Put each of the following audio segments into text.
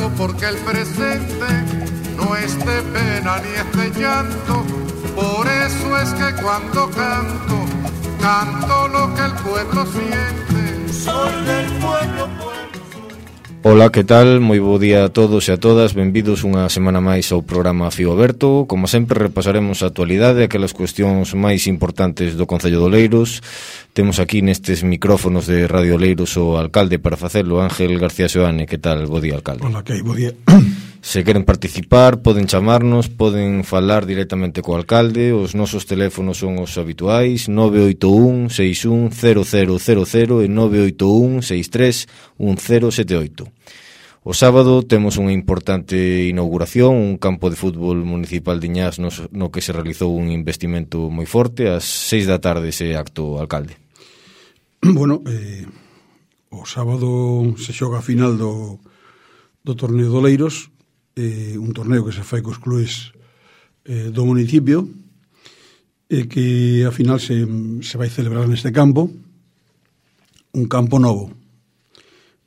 canto porque el presente no es de pena ni es de llanto. Por eso es que cuando canto, canto lo que el pueblo siente. Soy del pueblo, Ola, que tal? Moi bo día a todos e a todas. Benvidos unha semana máis ao programa Fío Aberto. Como sempre, repasaremos a actualidade e aquelas cuestións máis importantes do Concello de Oleiros. Temos aquí nestes micrófonos de Radio Oleiros o alcalde para facelo, Ángel García Seoane. Que tal? Bo día, alcalde. Ola, que hai, bo día. Se queren participar, poden chamarnos, poden falar directamente co alcalde. Os nosos teléfonos son os habituais: 981 61 0000 e 981 63 1078. O sábado temos unha importante inauguración, un campo de fútbol municipal de Iñás no que se realizou un investimento moi forte. Ás 6 da tarde ese acto, alcalde. Bueno, o sábado se xoga a final do torneo de Oleiros, un torneo que se fai cos clubes do municipio, e que a final se vai celebrar neste campo, un campo novo.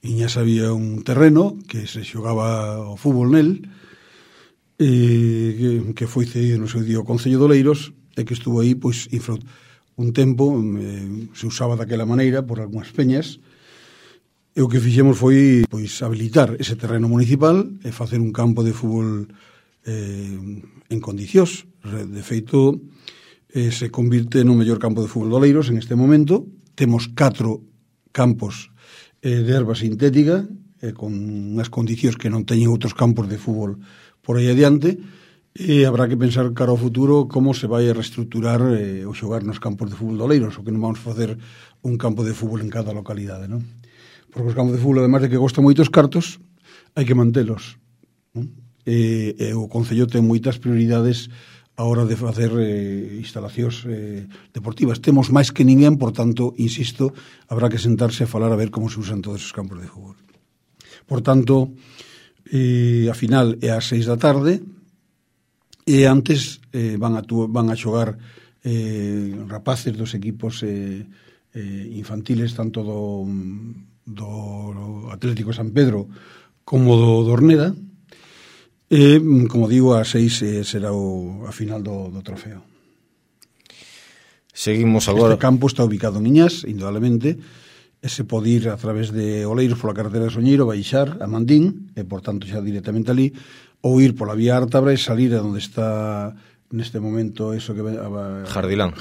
Iñás había un terreno que se xogaba o fútbol nel, que foi cedido no seu día ao Concello de Oleiros, e que estuvo aí pois un tempo, se usaba daquela maneira por algunhas peñas, e o que fixemos foi pois habilitar ese terreno municipal e facer un campo de fútbol en condicións. De feito, se convirte no mellor campo de fútbol de Oleiros en este momento. Temos 4 campos de erva sintética, con unhas condicións que non teñen outros campos de fútbol por aí adiante, e habrá que pensar cara ao futuro como se vai a reestructurar o xogar nos campos de fútbol de Oleiros, o que non vamos facer un campo de fútbol en cada localidade, non? Porque os campos de fútbol, además de que costan moitos cartos, hai que mantelos, non? E o Concello ten moitas prioridades a hora de facer instalacións deportivas. Temos máis que ninguén, por tanto, insisto, habrá que sentarse a falar a ver como se usan todos os campos de fútbol. Por tanto, a final é ás 6 da tarde, e antes van a xogar rapaces dos equipos infantiles, tanto do Atlético San Pedro como do Orneda. E, como digo, a 6 será a final do trofeo. Seguimos agora. Este campo está ubicado en Iñás, indudablemente, e se pode ir a través de Oleiros pola carretera de Soñeiro, baixar a Mandín, e, por tanto, xa directamente ali, ou ir pola vía Ártabra e salir a onde está, neste momento, eso que Jardilán,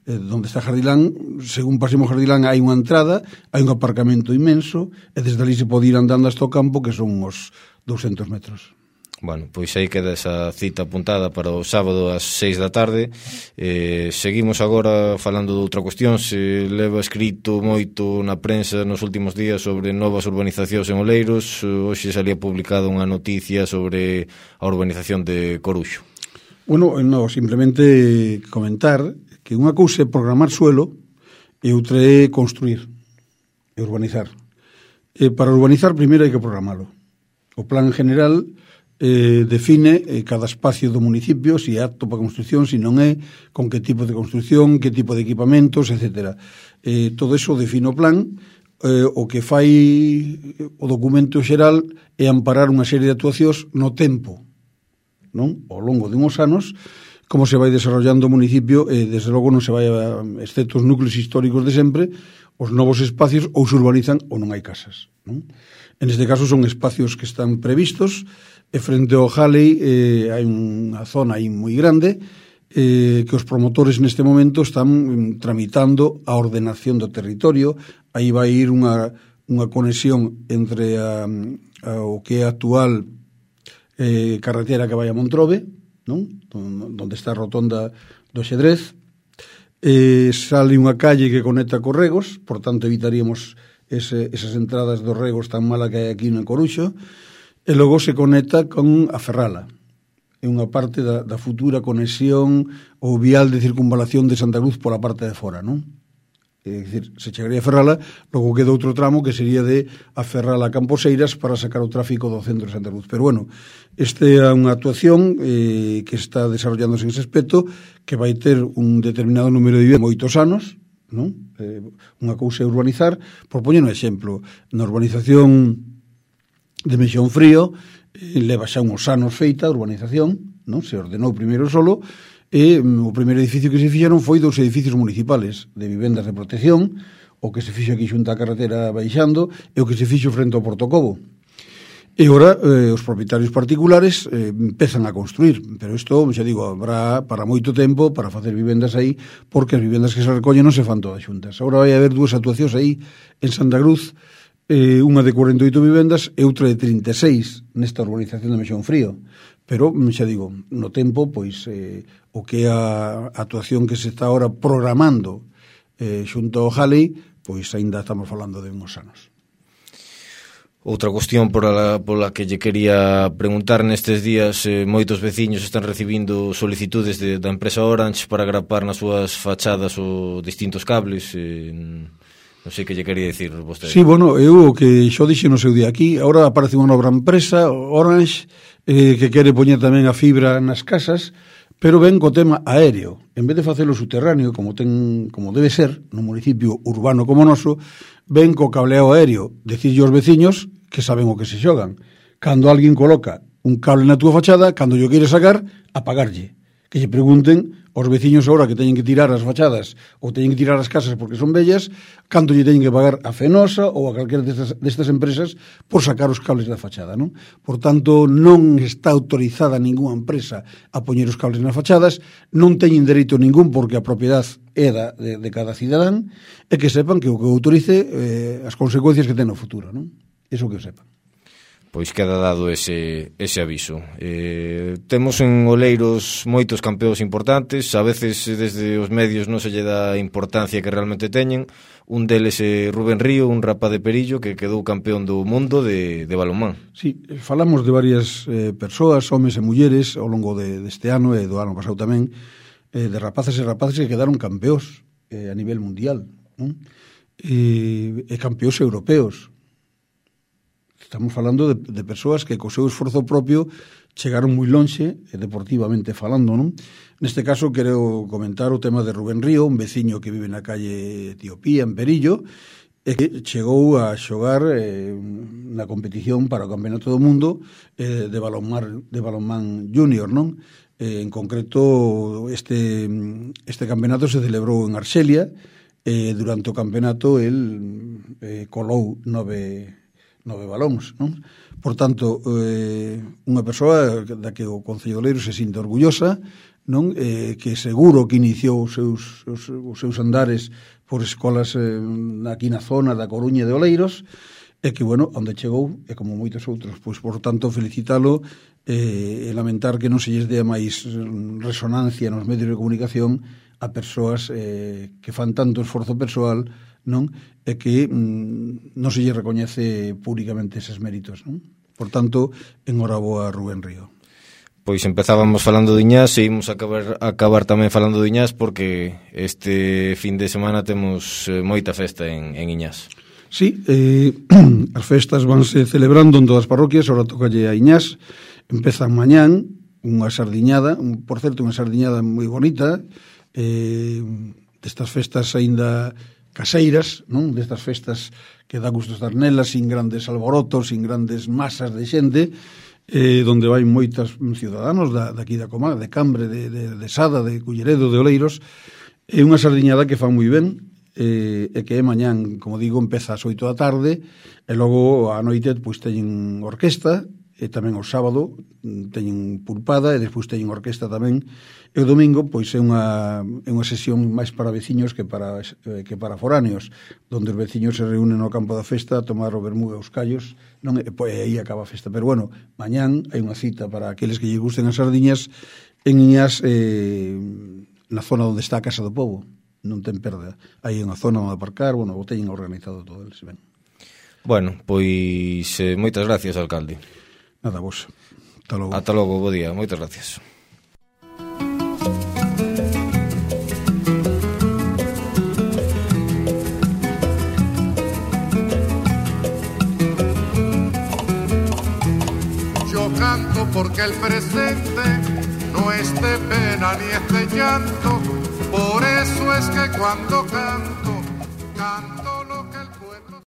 donde está Jardilán. Según pasemos Jardilán hai unha entrada, hai un aparcamento inmenso, e desde ali se pode ir andando hasta o campo, que son uns 200 metros. Bueno, pois aí queda esa cita apuntada para o sábado ás 6 da tarde. Seguimos agora falando de outra cuestión. Se leva escrito moito na prensa nos últimos días sobre novas urbanizacións en Oleiros. Hoxe salía publicada unha noticia sobre a urbanización de Coruxo. Bueno, no, simplemente comentar que unha cousa é programar suelo e outra é construir e urbanizar. Para urbanizar, primeiro hai que programalo. O plan general define cada espacio do municipio, se é apto para construción, se non é, con que tipo de construción, que tipo de equipamentos, etc. Todo eso define o plan. O que fai o documento xeral é amparar unha serie de actuacións no tempo, non? Ao longo de uns anos, como se vai desarrollando o municipio, desde logo non se vai, excepto os núcleos históricos de sempre, os novos espacios ou se urbanizan ou non hai casas, non? En este caso son espacios que están previstos, e frente ao Jalei hai unha zona aí moi grande que os promotores neste momento están tramitando a ordenación do territorio. Aí vai ir unha conexión entre o que é a actual carretera que vai a Montrobe, non? Donde está a rotonda do Xedrez. Sale unha calle que conecta co Regos, por tanto evitaríamos esas entradas dos Regos tan mala que hai aquí en Coruxo. E logo se conecta con a Ferrala. É unha parte da futura conexión ou vial de circunvalación de Santa Cruz pola parte de fora, non? É dicir, se chegaría a Ferrala, logo queda outro tramo que sería de a Ferrala a Camposeiras para sacar o tráfico do centro de Santa Cruz. Pero bueno, esta é unha actuación que está desarrollándose en ese aspecto, que vai ter un determinado número de viviendas moitos anos, non? Unha cousa é urbanizar. Por poñer un exemplo, na urbanización de Mexón Frío, leva xa uns anos feita a urbanización, non? Se ordenou primeiro solo, e o primeiro edificio que se fixeron foi 2 edificios municipales de vivendas de protección, o que se fixo aquí xunta a carretera baixando, e o que se fixo frente ao Porto Cobo. E ora os propietarios particulares empezan a construir, pero isto, xa digo, habrá para moito tempo para facer vivendas aí, porque as vivendas que se recollen non se fan todas xuntas. Agora vai haber 2 actuacións aí en Santa Cruz, unha de 48 vivendas e outra de 36 nesta urbanización de Mexón Frío. Pero, xa digo, no tempo, pois, o que é a actuación que se está ahora programando xunto ao Jalei, pois aínda estamos falando de uns anos. Outra cuestión pola que lle quería preguntar nestes días, moitos veciños están recibindo solicitudes da empresa Orange para grapar nas súas fachadas os distintos cables, non sei que lle quería dicir vostede. Sí, bueno, eu o que xo dixe no seu día aquí, agora aparece unha nova empresa, Orange, que quere poñer tamén a fibra nas casas, pero ven co tema aéreo. En vez de facelo subterráneo, como debe ser, no municipio urbano como noso, ven co cableado aéreo, decirlle aos veciños que saben o que se xogan. Cando alguén coloca un cable na túa fachada, cando yo quere sacar, apagarlle. Que lle pregunten aos veciños agora que teñen que tirar as fachadas ou teñen que tirar as casas porque son bellas, cando lle teñen que pagar a Fenosa ou a calquera destas empresas por sacar os cables da fachada, non? Por tanto, non está autorizada ninguna empresa a poñer os cables nas fachadas, non teñen dereito ningún porque a propiedade é de cada cidadán, e que sepan que o que autorice as consecuencias que ten no futuro, non? Iso que sepan. Pois queda dado ese aviso. Temos en Oleiros moitos campeóns importantes, a veces desde os medios non se lle dá a importancia que realmente teñen. Un deles é Rubén Río, un rapaz de Perillo que quedou campeón do mundo de balonmán. Sí, falamos de varias persoas, homes e mulleres, ao longo deste ano e do ano pasado tamén, de rapaces e rapaces que quedaron campeóns a nivel mundial, non? E campeóns europeos. Estamos falando de persoas que co seu esforzo propio chegaron moi lonxe, deportivamente falando, non? Neste caso, quero comentar o tema de Rubén Río, un veciño que vive na calle Etiopía, en Perillo, e que chegou a xogar na competición para o Campeonato do Mundo de balonmán junior, non? En concreto, este campeonato se celebrou en Arxelia, e durante o campeonato el colou 9 balóns, non? Por tanto, unha persoa da que o Concello de Oleiros se sinta orgullosa, non? Que seguro que iniciou os seus andares por escolas aquí na zona da Coruña de Oleiros, e que, bueno, onde chegou, e como moitos outros, pois, por tanto, felicitalo e lamentar que non se lles dea máis resonancia nos medios de comunicación a persoas que fan tanto esforzo persoal, non? E que non se lle recoñece públicamente eses méritos, non? Por tanto, enhoraboa a Rubén Río. Pois empezábamos falando de Iñás e imos acabar tamén falando de Iñás porque este fin de semana temos moita festa en Iñás. Sí, as festas vanse celebrando en todas as parroquias, ahora tocalle a Iñás, empezan mañán unha sardiñada, por certo, unha sardiñada moi bonita, destas festas aínda caseiras, non? Destas festas que dá gusto estar nelas, sin grandes alborotos, sin grandes masas de xente, donde vai moitos ciudadanos daqui da comarca, de Cambre, de Sada, de Culleredo, de Oleiros, e unha sardiñada que fan moi ben, e que é mañán, como digo, empeza ás 8 da tarde, e logo a noite pois teñen orquesta, e tamén o sábado teñen pulpada, e despois teñen orquesta tamén, e o domingo pois é unha sesión máis para veciños que para foráneos, donde os veciños se reúnen no campo da festa a tomar o vermú e os callos, non? E aí acaba a festa. Pero bueno, mañán hai unha cita para aqueles que lle gusten as sardiñas en Iñás, na zona onde está a Casa do Pobo, non ten perda. Hai unha zona onde aparcar, bueno, o teñen organizado todo eles, ben. Bueno, pois moitas gracias, alcalde. Nada, vos. Ata logo. Ata logo, bo día. Moitas gracias. Yo canto porque el presente no es de pena ni es de llanto, por eso es que cuando canto